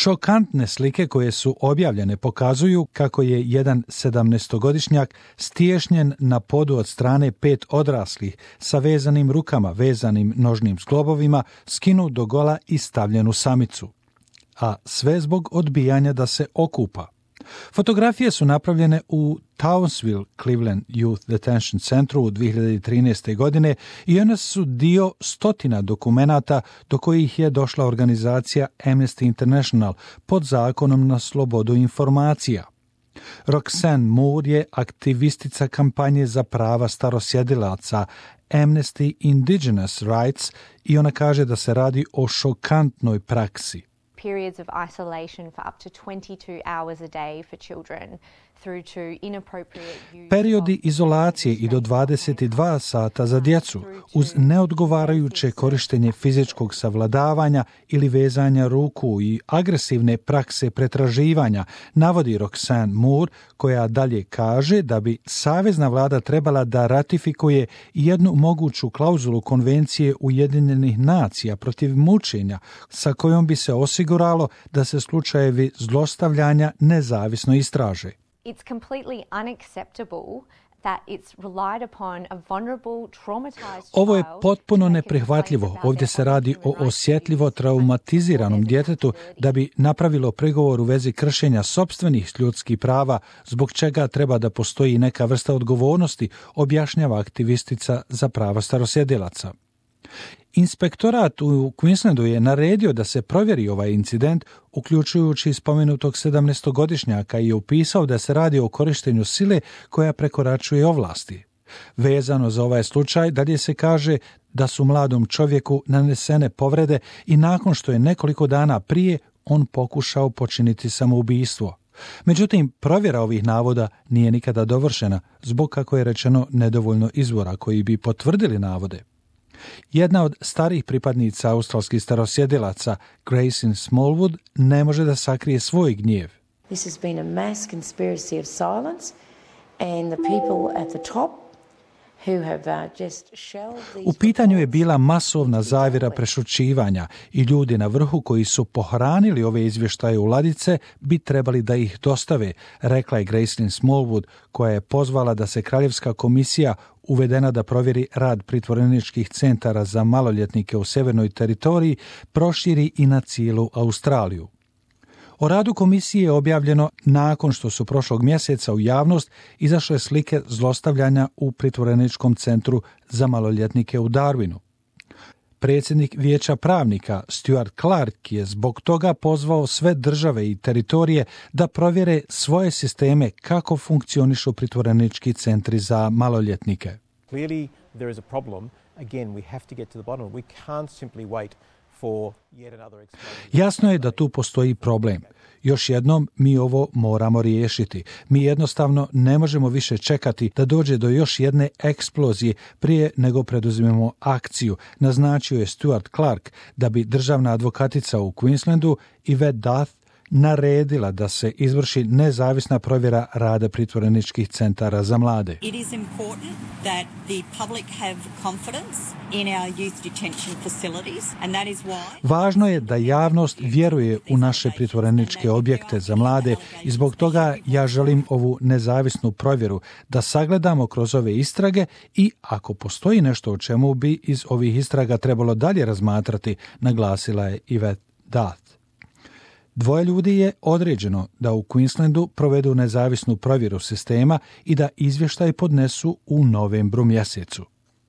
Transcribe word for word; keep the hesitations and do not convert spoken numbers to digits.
Šokantne slike koje su objavljene pokazuju kako je jedan sedamnaestogodišnjak stiješnjen na podu od strane pet odraslih sa vezanim rukama, vezanim nožnim zglobovima, skinut do gola i stavljen u samicu. A sve zbog odbijanja da se okupa. Fotografije su napravljene u Townsville Cleveland Youth Detention Centru u dvije hiljade trinaeste. godine i one su dio stotina dokumenata do kojih je došla organizacija Amnesty International pod zakonom na slobodu informacija. Roxanne Moore je aktivistica kampanje za prava starosjedilaca Amnesty Indigenous Rights i ona kaže da se radi o šokantnoj praksi. Periods of isolation for up to twenty-two hours a day for children through to inappropriate use. Periodi izolacije i do dvadeset dva sata za djecu uz neodgovarajuće korištenje fizičkog savladavanja ili vezanja ruku i agresivne prakse pretraživanja, navodi Roxanne Moore, koja dalje kaže da bi savezna vlada trebala da ratifikuje jednu moguću klauzulu Konvencije Ujedinjenih nacija protiv mučenja, sa kojom bi se osiguralo da se slučajevi zlostavljanja nezavisno istraže. It's completely unacceptable that it's relied upon a vulnerable, traumatized Ovo je child potpuno to make a neprihvatljivo. complaint about Ovdje se their radi o own osjetljivo traumatiziranom djetetu da bi napravilo prigovor u vezi kršenja sopstvenih ljudskih prava, zbog čega treba da postoji neka vrsta odgovornosti, objašnjava aktivistica za prava starosjedilaca. Inspektorat u Queenslandu je naredio da se provjeri ovaj incident, uključujući spomenutog sedamnaestogodišnjaka, i opisao da se radi o korištenju sile koja prekoračuje ovlasti. Vezano za ovaj slučaj, dalje se kaže da su mladom čovjeku nanesene povrede i nakon što je nekoliko dana prije on pokušao počiniti samoubistvo. Međutim, provjera ovih navoda nije nikada dovršena zbog, kako je rečeno, nedovoljno izvora koji bi potvrdili navode. Jedna od starih pripadnica australskih starosjedilaca, Grace Smallwood, ne može da sakrije svoj gnjev. This has been a mass conspiracy of silence and the people at the top who have uh, just shelved these... U pitanju je bila masovna zavjera prešućivanja i ljudi na vrhu koji su pohranili ove izvještaje u ladice bi trebali da ih dostave, rekla je Gracelyn Smallwood, koja je pozvala da se Kraljevska komisija uvedena da provjeri rad pritvoreničkih centara za maloljetnike u Sjevernoj teritoriji proširi i na cijelu Australiju. O radu komisije je objavljeno nakon što su prošlog mjeseca u javnost izašle slike zlostavljanja u pritvoreničkom centru za maloljetnike u Darwinu. Predsjednik Vijeća pravnika Stuart Clark je zbog toga pozvao sve države i teritorije da provjere svoje sisteme kako funkcionišu pritvorenički centri za maloljetnike. Clearly there is a problem. Again, we have to get to the bottom. We can't simply wait for yet another explosion. Jasno je da tu postoji problem. Još jednom, mi ovo moramo riješiti. Mi jednostavno ne možemo više čekati da dođe do još jedne eksplozije prije nego preduzmemo akciju, naznačio je Stuart Clark, da bi državna advokatica u Queenslandu Yvette Duff naredila da se izvrši nezavisna provjera rada pritvoreničkih centara za mlade. It is important that the public have confidence in our youth detention facilities and that is why Važno je da javnost vjeruje u naše pritvoreničke objekte za mlade i zbog toga ja želim ovu nezavisnu provjeru da sagledamo kroz ove istrage i ako postoji nešto o čemu bi iz ovih istraga trebalo dalje razmatrati, naglasila je Yvette Duff. Dvoje ljudi je određeno da u Queenslandu provedu nezavisnu provjeru sistema i da izvještaj podnesu u novembru mjesecu.